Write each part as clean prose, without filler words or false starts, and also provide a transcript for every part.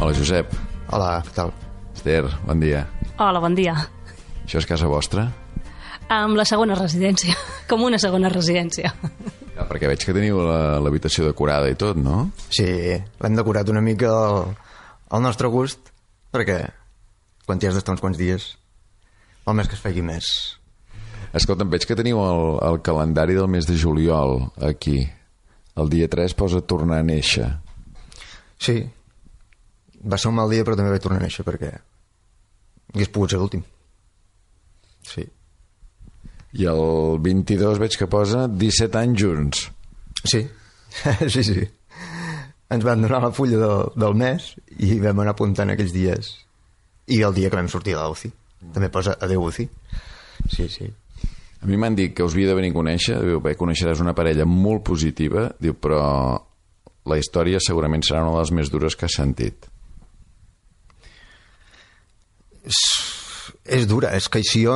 Hola, Josep. Hola, què tal? Esther, bon dia. Hola, bon dia. Això és casa vostra? Amb la segona residència, com una segona residència. Ja, perquè veig que teniu l'habitació decorada i tot, no? Sí, l'hem decorat una mica al nostre gust, perquè quan t'hi has d'estar uns quants dies, val més que es faci més. Escolta'm, veig que teniu el calendari del mes de juliol aquí. El dia 3 posa tornar a néixer. Sí, va ser un mal dia, però també vaig tornar a néixer, perquè hagués pogut ser l'últim. Sí. I el 22 veig que posa 17 anys junts. Sí, sí. Ens van donar la fulla del mes i vam anar apuntant aquells dies. I el dia que vam sortir de l'UCI. També posa adeu UCI. Sí. A mi m'han dit que us havia de venir a conèixer. Diu, bé, coneixeràs una parella molt positiva. Diu, però la història segurament serà una de les més dures que has sentit. És dura. És que si jo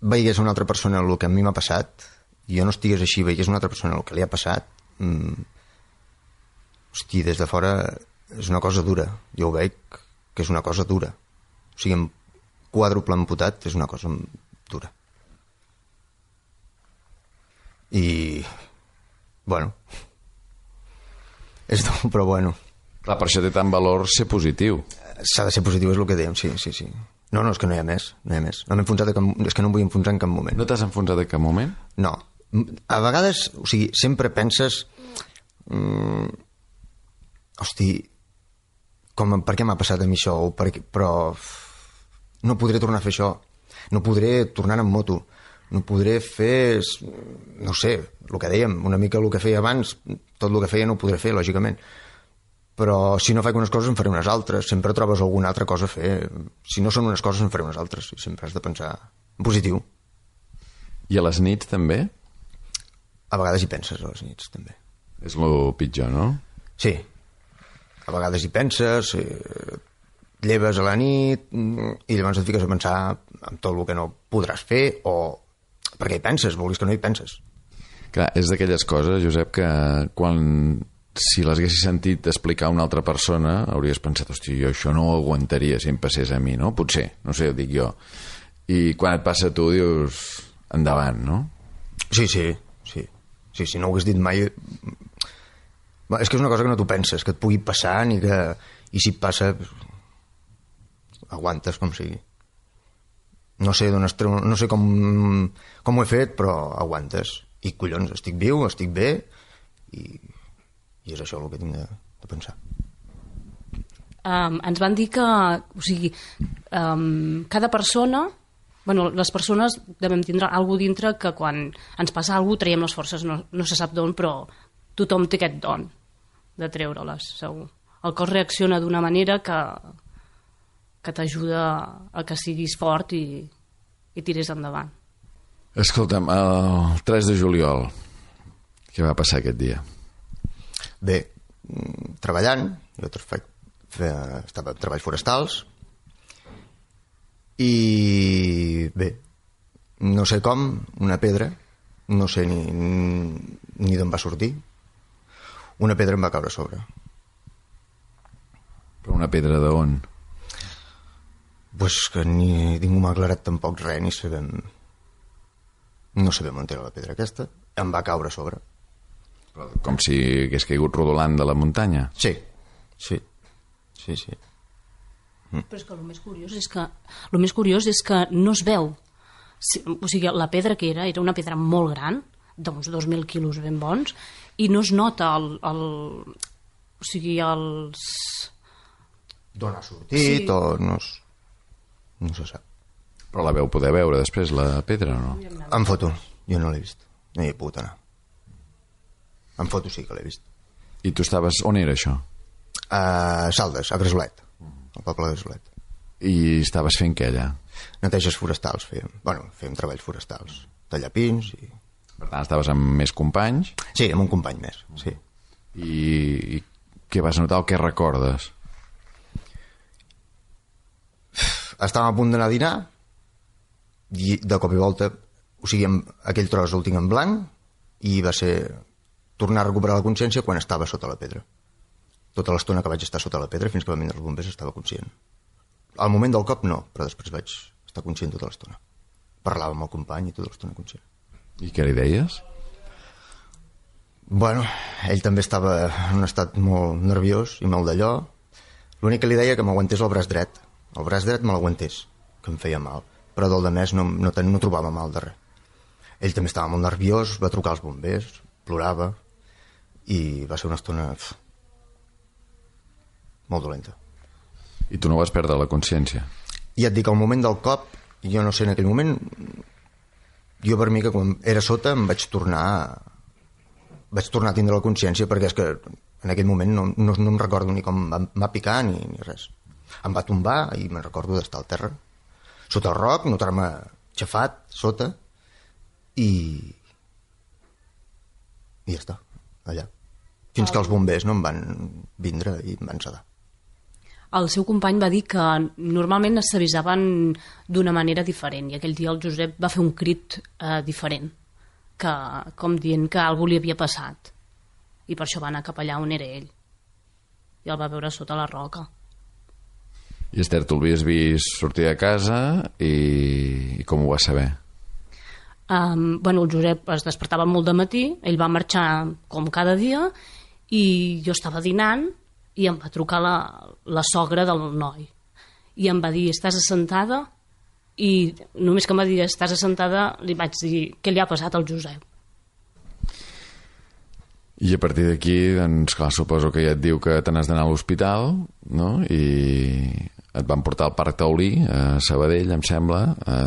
veigués una altra persona el que a mi m'ha passat, i jo no estigués així, veigués una altra persona el que li ha passat, hosti, des de fora és una cosa dura. Jo ho veig que és una cosa dura. O sigui, amb quàdruple amputat és una cosa dura. I bueno, és dur, però bueno. Clar, per això té tant valor ser positiu. S'ha de ser positiu, és el que dèiem, sí. No, és que no hi ha més. No m'he enfonsat és que no em vull enfonsar en cap moment. No t'has enfonsat en cap moment? No. A vegades, o sigui, sempre penses hosti, per què m'ha passat a mi això? Però no podré tornar a fer això. No podré tornar en moto. No podré fer, no sé, el que dèiem, una mica el que feia abans, tot el que feia no ho podré fer, lògicament. Però si no faig unes coses en faré unes altres. Sempre trobes alguna altra cosa a fer. Si no són unes coses en faré unes altres. I sempre has de pensar en positiu. I a les nits també? A vegades hi penses, a les nits també. És el pitjor, no? Sí. A vegades hi penses, lleves a la nit i llavors et fiques a pensar en tot el que no podràs fer o perquè hi penses, vulguis que no hi penses. Clar, és d'aquelles coses, Josep, que si les haguessis sentit explicar a una altra persona hauries pensat, hosti, jo això no ho aguantaria si em passés a mi, no? Potser, no sé, ho dic jo. I quan et passa a tu dius endavant, no? Sí, no ho hagués dit mai. És que és una cosa que no t'ho penses, que et pugui passar i si et passa aguantes com sigui. No sé com ho he fet, però aguantes. I collons, estic viu, estic bé i és això el que tinc de pensar. Ens van dir que, o sigui, cada persona, bueno, les persones devem tindre alguna dintre que quan ens passa alguna cosa traiem les forces, no se sap d'on, però tothom té aquest don de treure-les, segur. El cos reacciona d'una manera que t'ajuda a que siguis fort i tiris endavant. Escolta'm, el 3 de juliol, què va passar aquest dia? Bé, treballant, jo estava en treballs forestals i bé, no sé com, una pedra, no sé ni d'on va sortir, una pedra em va caure a sobre. Però una pedra d'on? Pues que ningú m'ha aclarat tampoc res, no sabem on era la pedra aquesta, em va caure a sobre. Com si hagués caigut rodolant de la muntanya? Sí. Però és que el més curiós és que no es veu. O sigui, la pedra que era una pedra molt gran, d'uns 2.000 quilos ben bons, i no es nota o sigui, els... D'on ha sortit, sí. O no se sap. Però la veu poder veure després, la pedra, o no? En foto, jo no l'he vist. No hi he pogut anar. En foto sí que l'he vist. I tu estaves... On era això? A Saldes, a Gresolet, al poble de Gresolet. I estaves fent què allà? Neteges forestals fèiem. Bueno, fèiem treballs forestals. Tallar pins i... Per tant, estaves amb més companys? Sí, amb un company més, sí. I què vas notar o què recordes? Estàvem a punt d'anar a dinar i de cop i volta, o sigui, aquell tros el tinc en blanc i va ser tornar a recuperar la consciència quan estava sota la pedra. Tota l'estona que vaig estar sota la pedra fins que van vindre els bombers estava conscient. Al moment del cop no, però després vaig estar conscient tota l'estona. Parlava amb el company i tota l'estona conscient. I què li deies? Bueno, ell també estava en un estat molt nerviós i molt d'allò. L'únic que li deia que m'aguantés el braç dret. El braç dret me l'aguantés, que em feia mal. Però del de més no trobava mal de res. Ell també estava molt nerviós, va trucar als bombers, plorava, i va ser una estona molt dolenta. I tu no vas perdre la consciència? Ja et dic, al moment del cop, jo no sé, en aquell moment, jo per mi que quan era sota em vaig tornar a tindre la consciència, perquè és que en aquell moment no em recordo ni com em va picar ni res. Em va tombar i me'n recordo d'estar al terra, sota el roc, notar-me xafat sota, i ja està, allà. Fins que els bombers no em van vindre i em van sedar. El seu company va dir que normalment s'avisaven d'una manera diferent i aquell dia el Josep va fer un crit diferent, com dient que alguna li havia passat, i per això va anar cap allà on era ell i el va veure sota la roca. I Esther, tu l'havies vist sortir de casa i com ho vas saber? El Josep es despertava molt de matí, ell va marxar com cada dia i jo estava dinant i em va trucar la sogra del noi i em va dir, estàs assentada? I només que em va dir, estàs assentada, li vaig dir, què li ha passat al Josep? I a partir d'aquí, doncs clar, suposo que ja et diu que te n'has d'anar a l'hospital, no? I et van portar al Parc Taulí, a Sabadell, em sembla.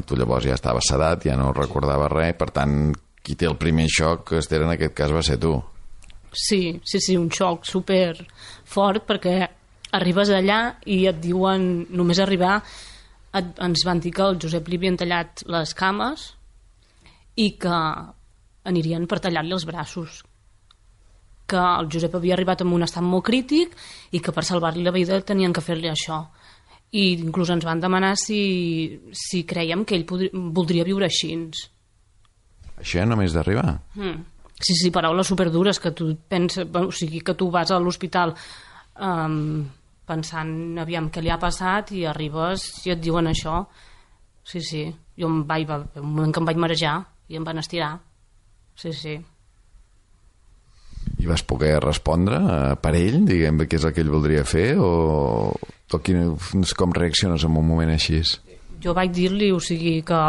Tu llavors ja estaves sedat, ja no recordaves res, per tant, qui té el primer xoc, Esther, en aquest cas va ser tu. Sí, un xoc super fort, perquè arribes allà i et diuen, només arribar, ens van dir que al Josep li havien tallat les cames i que anirien per tallar-li els braços, que el Josep havia arribat en un estat molt crític i que per salvar-li la vida tenien que fer-li això. I inclús ens van demanar si creiem que ell voldria viure així. Això només d'arribar? Sí, paraules superdures que tu penses, o sigui, que tu vas a l'hospital pensant, aviam, què li ha passat, i arribes i et diuen això. Sí, jo un moment que em vaig marejar i em van estirar. Sí. I vas poder respondre per ell, diguem, què és el que ell voldria fer, o com reacciones en un moment així? Jo vaig dir-li, o sigui, que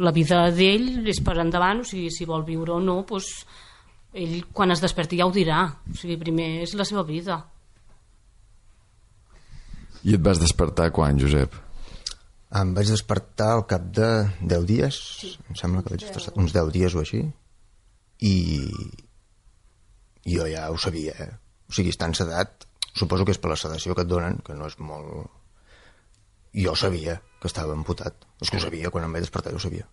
la vida d'ell és per endavant, o sigui, si vol viure o no, doncs ell quan es desperti ja ho dirà, o sigui, primer és la seva vida. I et vas despertar quan, Josep? Em vaig despertar al cap de 10 dies, sí. Em sembla que vaig estar uns 10 dies o així, i jo ja ho sabia, O sigui, estant sedat, suposo que és per la sedació que et donen, que no és molt... Jo sabia que estava amputat. És que ho sabia, quan em vaig despertar jo ho sabia.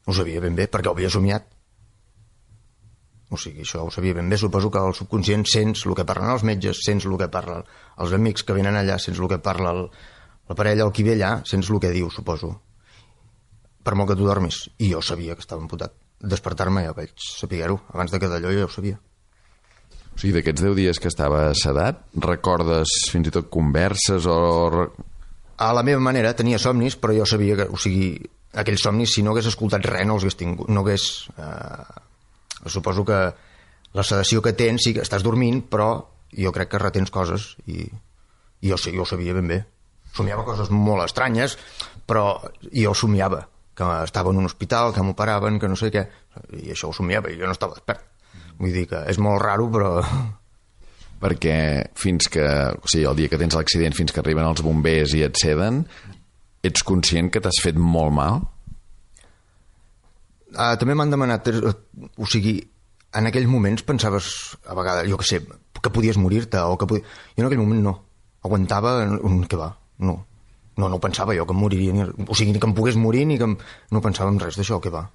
Ho sabia ben bé, perquè ho havia somiat. O sigui, això ho sabia ben bé. Suposo que al subconscient sents el que parlen els metges, sents el que parlen els amics que venen allà, sents el que parla la parella, el qui ve allà, sents el que diu, suposo. Per molt que tu dormis. I jo sabia que estava amputat. Despertar-me ja vaig saber-ho. Abans de que d'allò ja ho sabia. O sigui, d'aquests 10 dies que estava sedat, recordes fins i tot converses o... A la meva manera tenia somnis, però jo sabia que, o sigui, aquells somnis, si no hagués escoltat res, no els hagués tingut, no hagués... Suposo que la sedació que tens, sí que estàs dormint, però jo crec que retens coses i jo ho sabia ben bé. Somiava coses molt estranyes, però jo somiava que estava en un hospital, que m'operaven, que no sé què, i això ho somiava, i jo no estava despert. Vull dir que és molt raro, però... Perquè fins que... O sigui, el dia que tens l'accident, fins que arriben els bombers i et seden, ets conscient que t'has fet molt mal? També m'han demanat... O sigui, en aquells moments pensaves, a vegades, jo què sé, que podies morir-te o que Jo en aquell moment no. Aguantava... Què va? No ho pensava jo, que em moriria. O sigui, ni que em pogués morir, ni que no pensava en res d'això, què va?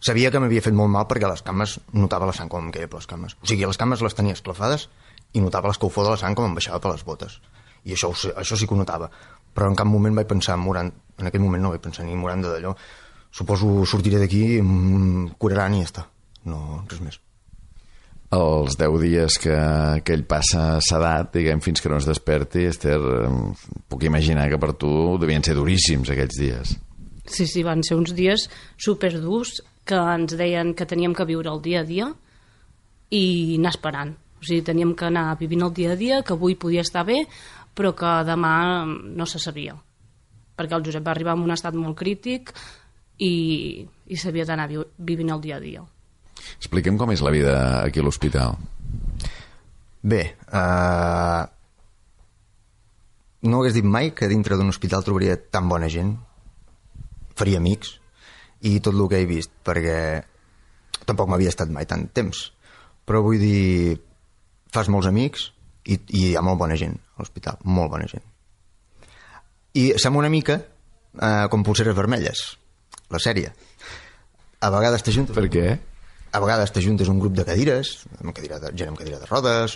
Sabia que m'havia fet molt mal perquè a les cames notava la sang com em queia per les cames. O sigui, les cames les tenia esclafades i notava l'escalfor de la sang com em baixava per les botes. I això sí que ho notava. Però en cap moment vaig pensar morant. En aquell moment no vaig pensar ni morant d'allò. Suposo sortiré d'aquí, em curaran i ja està. No, res més. Els 10 dies que ell passa sedat, diguem, fins que no es desperti, Esther, puc imaginar que per tu devien ser duríssims aquells dies. Sí, van ser uns dies superdurs que ens deien que teníem que viure el dia a dia i anar esperant. O sigui, teníem que anar vivint el dia a dia, que avui podia estar bé, però que demà no se sabia. Perquè el Josep va arribar en un estat molt crític i s'havia d'anar vivint el dia a dia. Expliquem com és la vida aquí a l'hospital. Bé, no hagués dit mai que dintre d'un hospital trobaria tan bona gent, faria amics, i tot el que he vist, perquè tampoc m'havia estat mai tant temps. Però vull dir, fas molts amics i hi ha molt bona gent a l'hospital, molt bona gent. I sembla una mica com Polseres Vermelles, la sèrie. A vegades t'ajuntes... Per què? A vegades t'ajuntes un grup de cadires, gent amb cadira de rodes,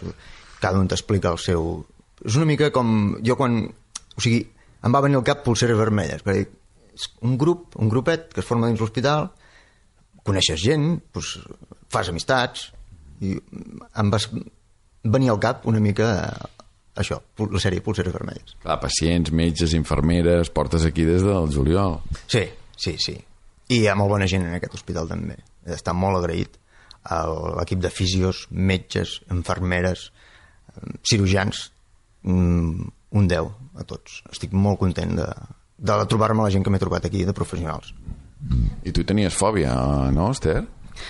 cada un t'explica el seu... És una mica com... Jo quan... O sigui, em va venir al cap Polseres Vermelles, perquè és un grup, un grupet que es forma dins l'hospital, coneixes gent, doncs, fas amistats, i em va venir al cap una mica això, la sèrie Polseres Vermelles. Clar, pacients, metges, infermeres, portes aquí des del juliol. Sí. I hi ha molt bona gent en aquest hospital també. Està molt agraït a l'equip de fisios, metges, infermeres, cirurgians, un 10 a tots. Estic molt content de trobar-me la gent que m'he trobat aquí, de professionals. I tu tenies fòbia, no, Esther?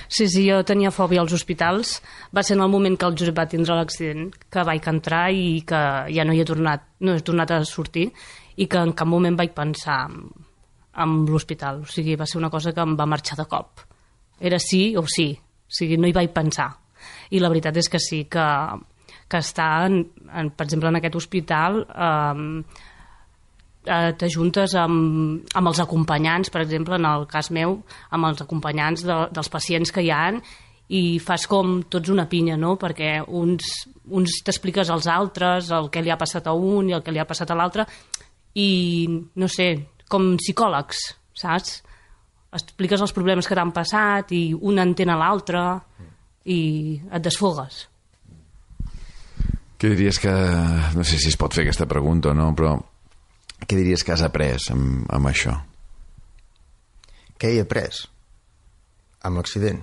Sí, jo tenia fòbia als hospitals. Va ser en el moment que el Josep va tindre l'accident que vaig entrar i que ja no he tornat a sortir i que en cap moment vaig pensar en l'hospital. O sigui, va ser una cosa que em va marxar de cop. Era sí o sí. O sigui, no hi vaig pensar. I la veritat és que sí, que estar, per exemple, en aquest hospital t'ajuntes amb els acompanyants, per exemple, en el cas meu, amb els acompanyants dels pacients que hi ha i fas com tots una pinya, no? Perquè uns t'expliques als altres el que li ha passat a un i el que li ha passat a l'altre i, no sé, com psicòlegs, saps? Expliques els problemes que t'han passat i un entén a l'altre i et desfogues. Què diries que... No sé si es pot fer aquesta pregunta o no, però què diries que has après amb això? Què he après amb l'accident?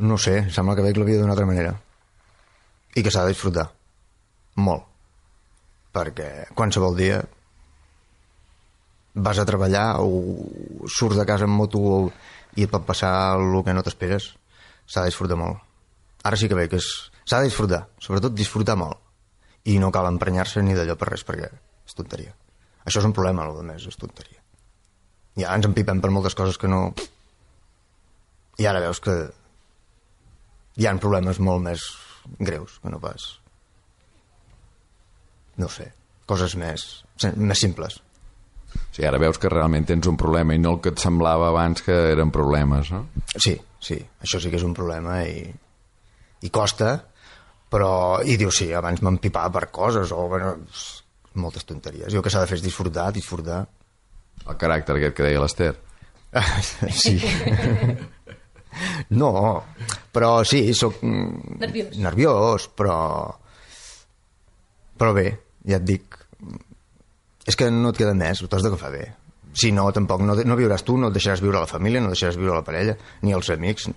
No sé, sembla que veig la vida d'una altra manera i que s'ha de disfrutar molt, perquè qualsevol dia vas a treballar o surts de casa en moto i et pot passar el que no t'esperes. S'ha de disfrutar molt. Ara sí que veig que s'ha de disfrutar, sobretot disfrutar molt, i no cal emprenyar-se ni d'allò per res, perquè és tonteria. Això és un problema, el més és tonteria. Ja ens empipem per moltes coses que no... I ara veus que hi ha problemes molt més greus que no pas... No sé, coses més simples. O sigui, ara veus que realment tens un problema i no el que et semblava abans que eren problemes, no? Sí, això sí que és un problema i costa, però... I dius, sí, abans m'empipava per coses o... Bueno, moltes tonteries. Jo el que s'ha de fer és disfrutar. El caràcter aquest que deia l'Esther. Sí. No, però sí, soc nerviós, però bé, ja et dic, és que no et queda més, ho t'has d'agafar bé. Si no, tampoc no viuràs tu, no et deixaràs viure la família, no deixaràs viure la parella, ni els amics.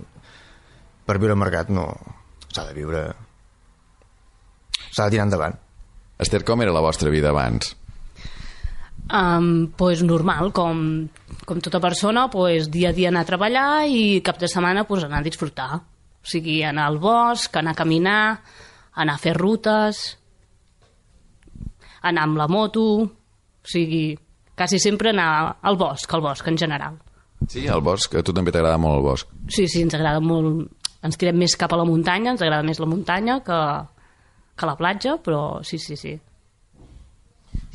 Per viure al mercat no... S'ha de viure... S'ha de tirar endavant. Esther, com era la vostra vida abans? Pues normal, com tota persona, pues dia a dia anar a treballar i cap de setmana pues anar a disfrutar. O sigui, anar al bosc, anar a caminar, anar a fer rutes, anar amb la moto, o sigui, quasi sempre anar al bosc en general. Sí, al bosc, a tu també t'agrada molt el bosc. Sí, ens agrada molt, ens tirem més cap a la muntanya, ens agrada més la muntanya que la platja, però sí. O sigui,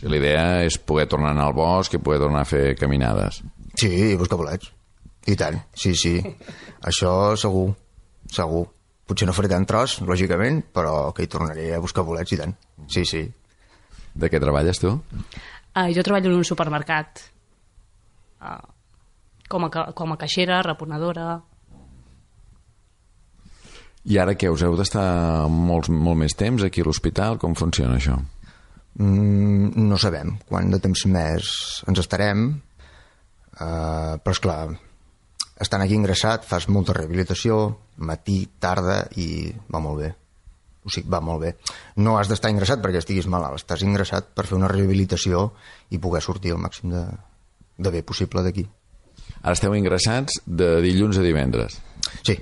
la idea és poder tornar a anar al bosc i poder tornar a fer caminades. Sí, i buscar bolets. I tant, sí. Això segur. Potser no faré tant tros, lògicament, però que hi tornaré a buscar bolets i tant. Sí. De què treballes, tu? Jo treballo en un supermercat. Com a caixera, reponedora. I ara què, us heu d'estar molt més temps aquí a l'hospital? Com funciona això? No sabem quant de temps més ens estarem, però esclar, estant aquí ingressat fas molta rehabilitació, matí, tarda, i va molt bé. O sigui, va molt bé. No has d'estar ingressat perquè estiguis malalt, estàs ingressat per fer una rehabilitació i poder sortir el màxim de bé possible d'aquí. Ara esteu ingressats de dilluns a divendres? Sí,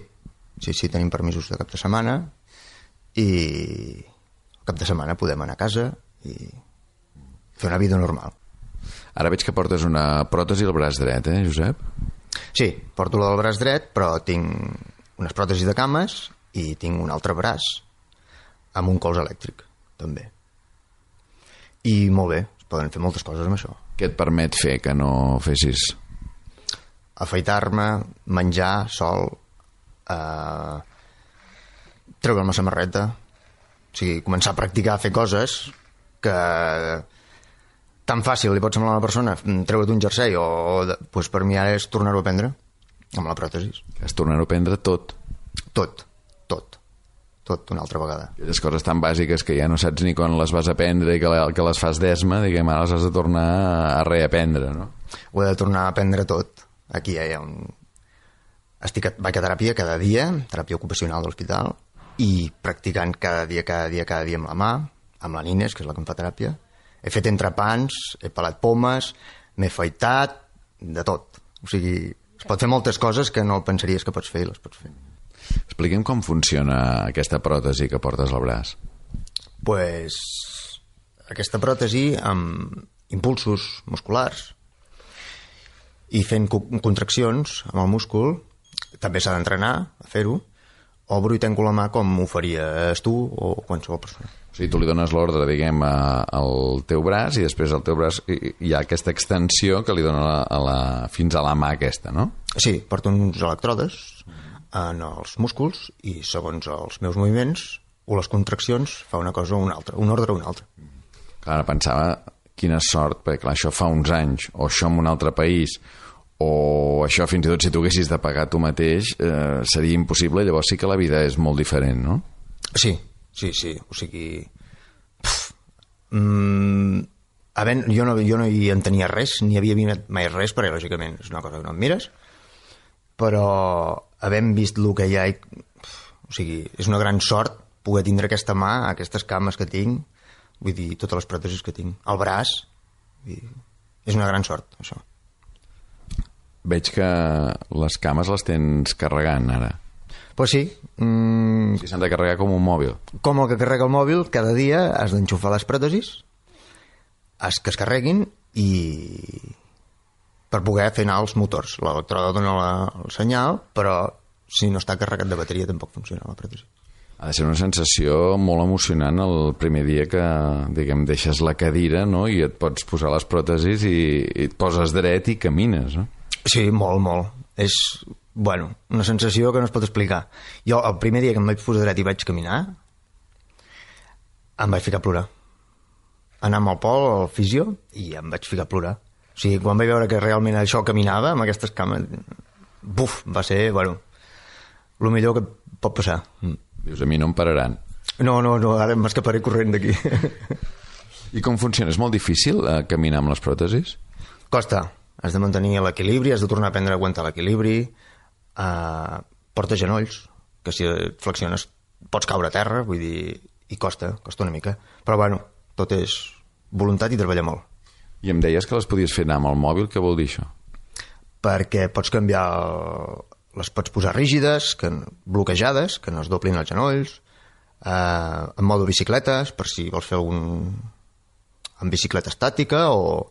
tenim permisos de cap de setmana i el cap de setmana podem anar a casa i fer una vida normal. Ara veig que portes una pròtesi al braç dret, Josep? Sí, porto la del braç dret, però tinc unes pròtesis de cames i tinc un altre braç amb un colze elèctric, també. I molt bé, es poden fer moltes coses amb això. Què et permet fer que no fessis? Afaitar-me, menjar sol, treure'm la samarreta, o sigui, començar a practicar a fer coses que tan fàcil li pot semblar a una persona treure't un jersei doncs per mi ara és tornar-ho a aprendre amb la pròtesi. És tornar-ho a aprendre tot una altra vegada. Aquelles coses tan bàsiques que ja no saps ni quan les vas aprendre i que les fas d'esma, diguem, ara les has de tornar a reaprendre, no? Ho he de tornar a aprendre tot. Aquí hi ha vaig a teràpia cada dia, teràpia ocupacional de l'hospital, i practicant cada dia amb la mà, amb la Nines, que és la que em fa teràpia. He fet entrepans, he pelat pomes, m'he afaitat, de tot. O sigui, es pot fer moltes coses que no pensaries que pots fer i les pots fer. Expliquem com funciona aquesta pròtesi que portes al braç. Pues, aquesta pròtesi amb impulsos musculars i fent contraccions amb el múscul, també s'ha d'entrenar a fer-ho, obro i tanco la mà com ho faries tu o qualsevol persona. O sigui, tu li dones l'ordre, diguem, al teu braç i després al teu braç hi ha aquesta extensió que li dona fins a la mà aquesta, no? Sí, porto uns elèctrodes en els músculs i segons els meus moviments o les contraccions fa una cosa o una altra, un ordre o una altra. Clar, pensava quina sort, perquè clar, això fa uns anys, o això en un altre país, o això fins i tot si tu haguessis de pagar tu mateix seria impossible, llavors sí que la vida és molt diferent, no? Sí, o sigui jo no hi entenia res, ni havia vist mai res, perquè lògicament és una cosa que no em mires, però havent vist el que hi ha, o sigui, és una gran sort poder tindre aquesta mà, aquestes cames que tinc, vull dir, totes les pròtesis que tinc, el braç, és una gran sort, això. Veig que les cames les tens carregant ara. Pues sí. Si s'han de carregar com un mòbil. Com el que carrega el mòbil, cada dia has d'enxufar les pròtesis, que es carreguin i per poder fer anar els motors. L'electroda dona el senyal, però si no està carregat de bateria tampoc funciona la pròtesi. Ha de ser una sensació molt emocionant el primer dia que, diguem, deixes la cadira, no?, i et pots posar les pròtesis i et poses dret i camines, no? Sí, molt. És, una sensació que no es pot explicar. Jo, el primer dia que em vaig posar dret i vaig caminar, em vaig ficar a plorar. Anar amb el Pol, al fisio, i em vaig ficar a plorar. O sigui, quan vaig veure que realment això caminava, amb aquestes cames, va ser, el millor que pot passar. Dius, a mi no em pararan. No, ara m'escaparé corrent d'aquí. I com funciona? És molt difícil caminar amb les pròtesis? Costa. Has de mantenir l'equilibri, has de tornar a aprendre a aguantar l'equilibri, porta genolls, que si et flexiones pots caure a terra, vull dir, i costa una mica. Però tot és voluntat i treballar molt. I em deies que les podies fer anar amb el mòbil, què vol dir això? Perquè pots canviar, les pots posar rígides, bloquejades, que no es doblin els genolls, en modo bicicletes, per si vols fer en bicicleta estàtica, o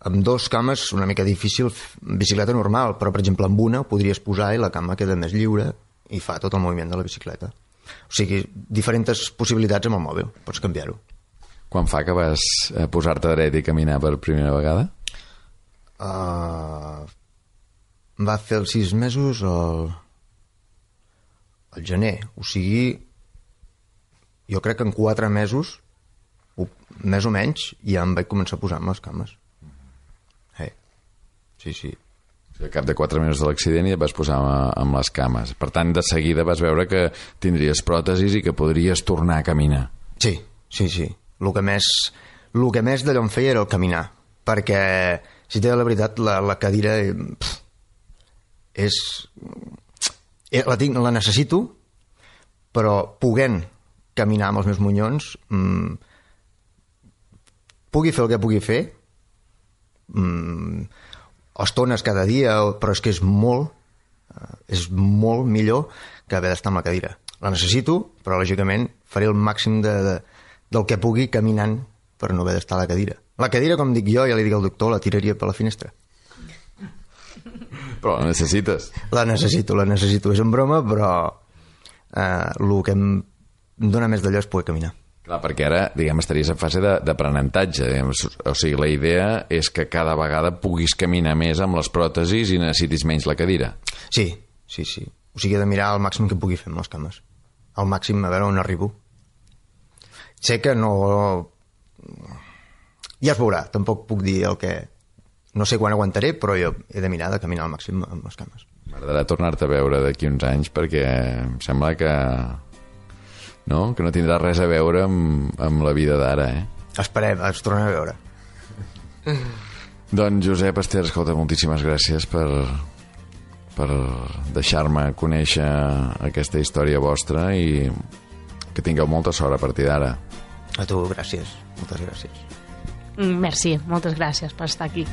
amb dos cames una mica difícil bicicleta normal, però per exemple amb una podries posar i la cama queda més lliure i fa tot el moviment de la bicicleta. O sigui, diferents possibilitats amb el mòbil, pots canviar-ho. Quan fa que vas posar-te dret i caminar per primera vegada? Va fer els 6 mesos al gener. O sigui, jo crec que en 4 mesos, més o menys, ja em vaig començar a posar amb les cames. Sí. Sí, Al cap de 4 minuts de l'accident i et vas posar amb les cames. Per tant, de seguida vas veure que tindries pròtesis i que podries tornar a caminar. Sí. El que més d'allò em feia era el caminar, perquè, si t'he de la veritat, la cadira la necessito, però podent caminar amb els meus monyons, pugui fer el que pugui fer, estones cada dia, però és que és molt millor que haver d'estar amb la cadira. La necessito, però lògicament faré el màxim del que pugui caminant per no haver d'estar a la cadira. La cadira, com dic jo, ja li dic al doctor, la tiraria per la finestra. Però la necessites. La necessito. És en broma, però el que em dona més d'allò és poder caminar. Clar, perquè ara, diguem, estaries en fase d'aprenentatge. O sigui, la idea és que cada vegada puguis caminar més amb les pròtesis i necessitis menys la cadira. Sí. O sigui, he de mirar el màxim que pugui fer amb les cames. Al màxim, a veure on arribo. Sé que no... Ja es veurà, tampoc puc dir el que... No sé quan aguantaré, però jo he de mirar de caminar al màxim amb les cames. M'agradarà tornar-te a veure d'aquí uns anys, perquè em sembla que no tindrà res a veure amb la vida d'ara, Esperem, ens tornem a veure. Doncs Josep Ester, escolta, moltíssimes gràcies per deixar-me conèixer aquesta història vostra i que tingueu molta sort a partir d'ara. A tu, gràcies. Moltes gràcies. Merci, moltes gràcies per estar aquí.